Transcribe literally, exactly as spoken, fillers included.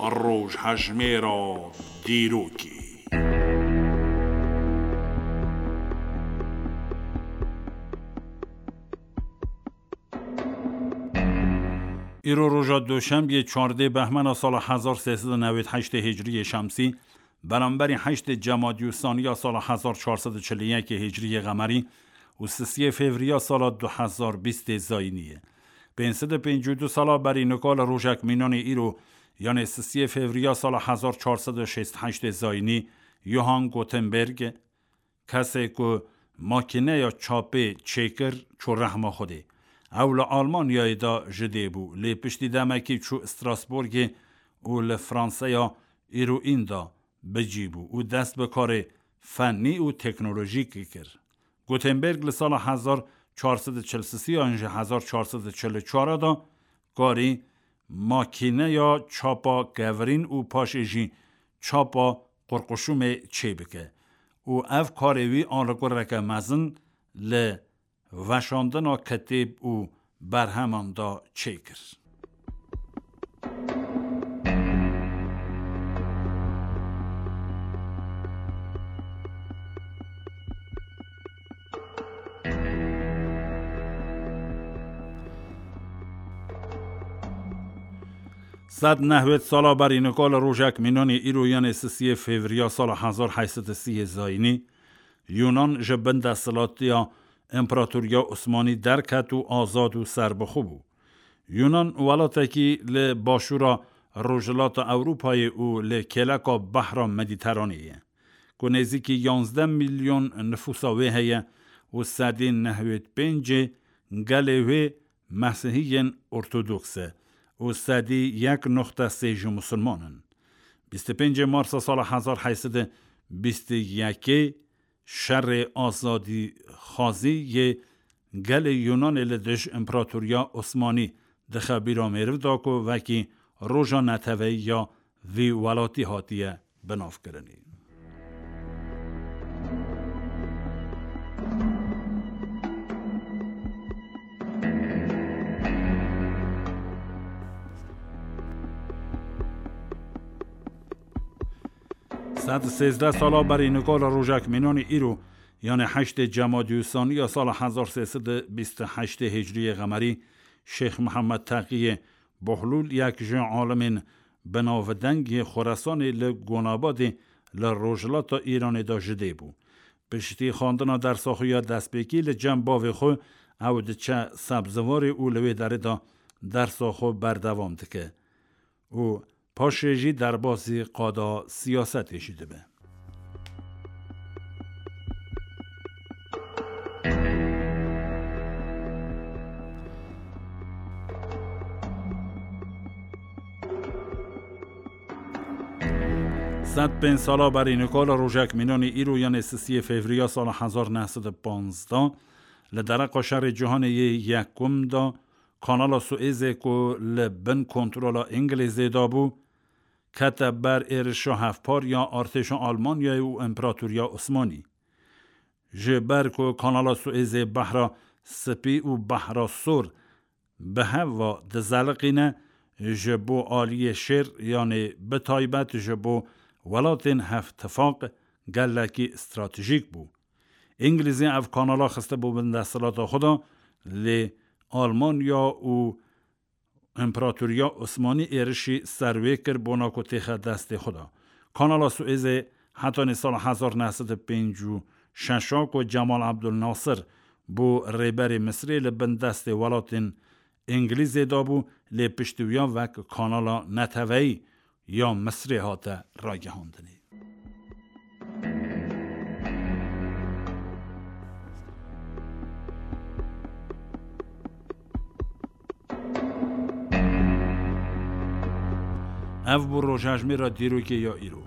Rojhejmêra dîrokê. Îro roja Duşembiyê, çardê behmena sala hezar sê sed û newêd heştê hicriyê şemsî, beramberî heştê Cemadî Usaniya sala hezar çar sed û çil û yekê hicriyê qemerî û sisiyê fevriya sala du hezar bîstê zayînî ye. Pênc sed û pêncî û du sala berî nika li rojek mînanê îro, yanê sisiyê fevriya sala hezar çar sed û şêst heştê zayînî, Johann Gutenberg, kesê ku makîneya çapê çêkir, çû rehma Xwedê. Ew li Almanyayê de ji dê bû, lê piştî demekî çû Strasbourgê û li Franseya îroîn de bi cî bû û dest bi karê fennî û teknolojîkî kir. Gutenberg li sala hezar çar sed û çil sisiyan ji hezar çar sed û çil û çar de karî makîneya çapa kevirîn û paşê jî çapa qurquşumê çêbike û ev karê wî alagoreke mezin li veşandina kitêb û berheman de çêkir. Sed nehwêd sala berî nika li rojek mînanê îro, yanê sisiyê fevriya sala hezar heyt sed û sî zayînî, Yunan ji bin desthilatiya Împaratoriya Osmanî derket û azad û serbixwe bû. Yunan welatekî li başûra rojhilata Ewropayê û li kêleka Behra Medîteranê ye, ku nêzîkî yanzdeh milyon nifûsa wê heye û sedî nehwêd pêncê gelê wê Mesihiyên Ortodoks e û sedî yek noxte sê jî Musulman in. Bîst û pêncê Marsa sala hezar heyt sed û bîst û yekê şerê azadîxwazî yê gelê Yunanê li dij Împaratoriya Osmanî dixe bîra mêriv de ku wekî roja neteweyî ya vî welatî hatiye binavkirinê. Sed sêzdeh sala berî nika li rojek mînanê îro, yanê heştê Cemadî Usaniya sala hezar sê sed û bîst û heştê hicriyê qemerî, Şêx Mihemed Teqiyê Bohlûl, yek ji alimên binavdeng yê Xoresanê, li Gonabadê li rojhilata Îranê de ji dê bû. Piştî xwendina dersa xwe ya destpêkî li cem bavê xwe, ew diçe Sebziwarê û li wê derê de dersa xwe berdewam dike û paşê jî derbasî qada siyasetê jî dibe. Sed pênc sala berî nika li rojek mînanê îro, yanê sisiyê fevriya sala hezar neh sed û panzdeh, li dereqa şerê cîhanê yê yekum de, Kanala Suêzê ku li bin kontrola Îngilîzê de bû, kete ber êrişa hevpar ya artêşa Almanyayê û Împaratoriya Osmanî. Ji ber ku Kanala Suêzê Behra Spî û Behra Sor bi hev ve dizeliqîne, ji bo aliyê şêr, yanê bi taybet ji bo welatên hevtifaq gelekî stratejîk bû. Îngilîzê ev kanala xiste bo bin desthilata xwe de, lê Almanya û Împaratoriya Osmanî êrişî ser wê kir bona ku têxe destê xwe de. Kanala Suêzê hetanî sala hezar neh sed û pêncî û şeş a ku Cemal Abdul Nasir bû rêberê Misirê, li bin destê welatên Îngilîzê de bû, lê piştî wiya wek kanala neteweyî ya Misirê hate ragihandinê. Ev bû rojhejmêra dîrokê ya îro.